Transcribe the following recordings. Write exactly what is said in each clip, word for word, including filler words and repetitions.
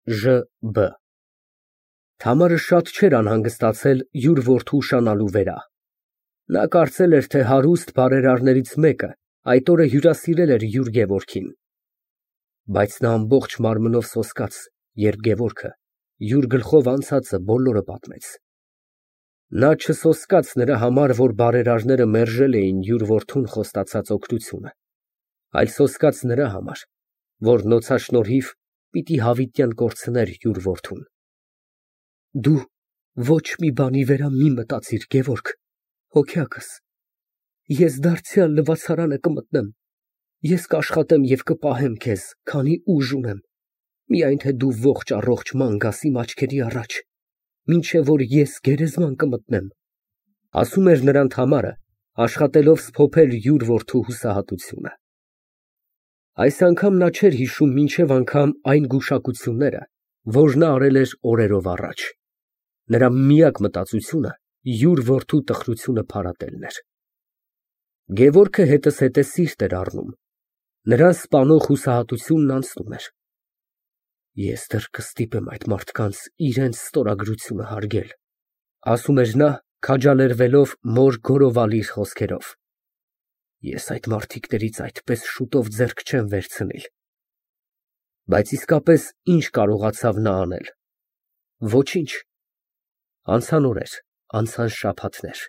Ժ B Թամարը շատ չէր անհանգստացել յուր որդու ուշանալու վրա. նա կարծել էր, թե հարուստ բարերարներից մեկը այդ օրը հյուրասիրել էր յուր Գևորգին, բայց նա ամբողջ մարմնով սոսկաց, երբ Գևորգը յուր գլխով անցածը բոլորը պատմեց։ Նա չսոսկաց նրա համար, որ բարերարները մերժել էին յուր որդուն խոստացած օգնությունը, այլ սոսկաց նրա համար, որ նոցաշնորհիվ պիտի հավիտյան կորցներ յուր որդուն։ Դու ոչ մի բանի վրա մի մտածիր, Գևորգ, հոգյակս, ես դարձյալ լվացարանը կմտնեմ, ես կաշխատեմ և կպահեմ քեզ, քանի ուժ ունեմ, միայն թե դու ողջ առողջ ման գաս իմ աչքերի առաջ, մինչև որ ես գերեզման կմտնեմ, ասում էր նրան Թամարը, աշխատելով սփոփել յուր որդու հուսահատությունը։ Այս անգամ նա չէր հիշում մինչև անգամ այն գուշակությունները, որ նա արել էր օրերով առաջ։ Նրա միակ մտածությունը յուր որդու տխրությունը փարատելն էր։ Գևորգը հետզհետե սիրտ էր առնում, նրան սպանող հուսահատությունն անցնում էր։ Ես դեռ կստիպեմ այդ մարդկանց իրենց ստորագրությունը հարգել, ասում էր նա, քաջալերվելով մոր գորովալիր խոսքերով։ Ես այդ մարդիկներից այդպես շուտով ձեռք չեմ վերցնիլ։ Բայց իսկապես ինչ կարողացավ նա անել։ Ոչինչ։ Անցան օրեր, անցան շաբաթներ,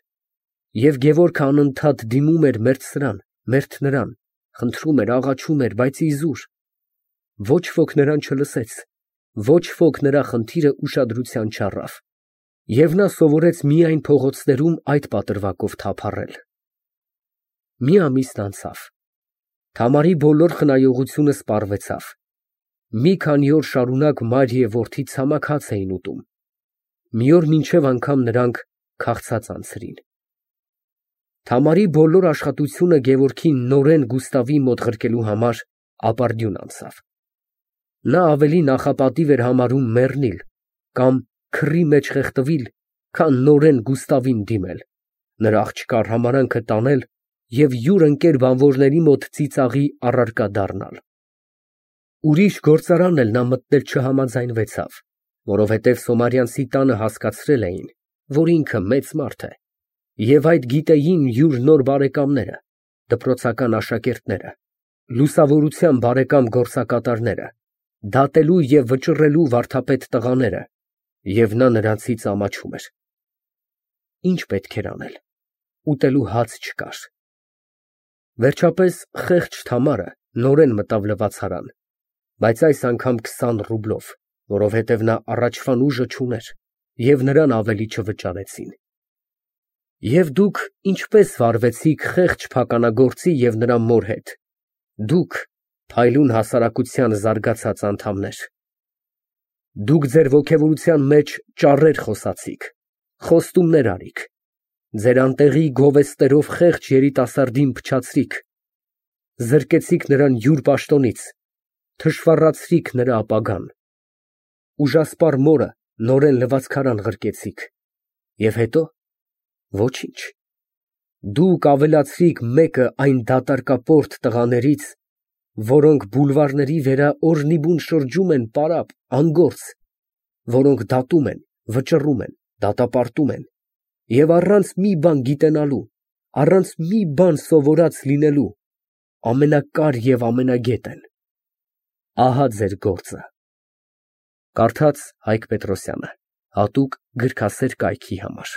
և Գևորգը անընդհատ դիմում էր մերթ սրան, մերթ նրան, խնդրում էր, աղաչում էր, բայց իզուր։ Ոչ ոք նրան չլսեց, ոչ ոք նրա խնդիրը ուշադրության չառավ, և նա սովորեց միայն փողոցներում այդ պատրվակով թափառել։ Մի ամիսն անցավ, Թամարի բոլոր խնայողությունը սպառվեցավ, մի քանի օր շարունակ մայր և որդի ցամաք հաց էին ուտում, մի օր մինչև անգամ նրանք քաղցած անցրին։ Թամարի բոլոր աշխատությունը Գևորգին նորեն Գուստավի մոտ ղրկելու համար ապարդյուն անցավ։ Նա ավելի նախապատիվ էր համարում մեռնել կամ քրի մեջ խեղդվել, քան նորեն Գուստավին դիմել, նրա աղջկա հրամարանքը տանել և յուր ընկեր բանվորների մոտ ծիծաղի առարկա դառնալ։ Ուրիշ գործարան էլ նա մտնել չհամաձայնվեցավ, որովհետև Սոմարյանցի տանը հասկացրել էին, որ ինքը մեծ մարդ է, և այդ գիտեին յուր նոր բարեկամները, դպրոցական աշակերտները, լուսավորության բարեկամ գործակատարները, դատելու և վճռելու վարդապետ տղաները, և նա նրանցից ամաչում էր։ Ինչ պետք էր անել, ուտելու հաց չկար։ Վերջապես խեղճ Թամարը նորեն մտավ լվացարան, բայց այս անգամ քսան ռուբլով, որովհետև նա առաջվան ուժը չուներ, և նրան ավելի չվճարեցին։ Եվ դուք ինչպե՞ս վարվեցիք խեղճ փականագործի և նրա մոր հետ, դուք, փայլուն հասարակության զարգացած անդամներ։ Դուք ձեր ոգևորության մեջ ճառեր խոսացիք, խոստումներ արիք, ձեր անտեղի գովեստներով խեղճ երիտասարդին փչացրիք, զրկեցիք նրան յուր պաշտոնից, թշվառացրիք նրա ապագան, ուժասպառ մորը նորեն լվացքարան ղրկեցիք, և հետո ոչինչ, դուք ավելացրիք մեկը այն դատարկապորտ տղաներից, որոնք բուլվարների վրա օրնիբուն շրջում են պարապ, անգործ, որոնք դատում են, վճռում են, դատապարտում են և առանց մի բան գիտենալու, առանց մի բան սովորած լինելու, ամենակար և ամենագետ են։ Ահա ձեր գործը։ Կարդաց Հայկ Պետրոսյանը, հատուկ գրքասեր կայքի համար։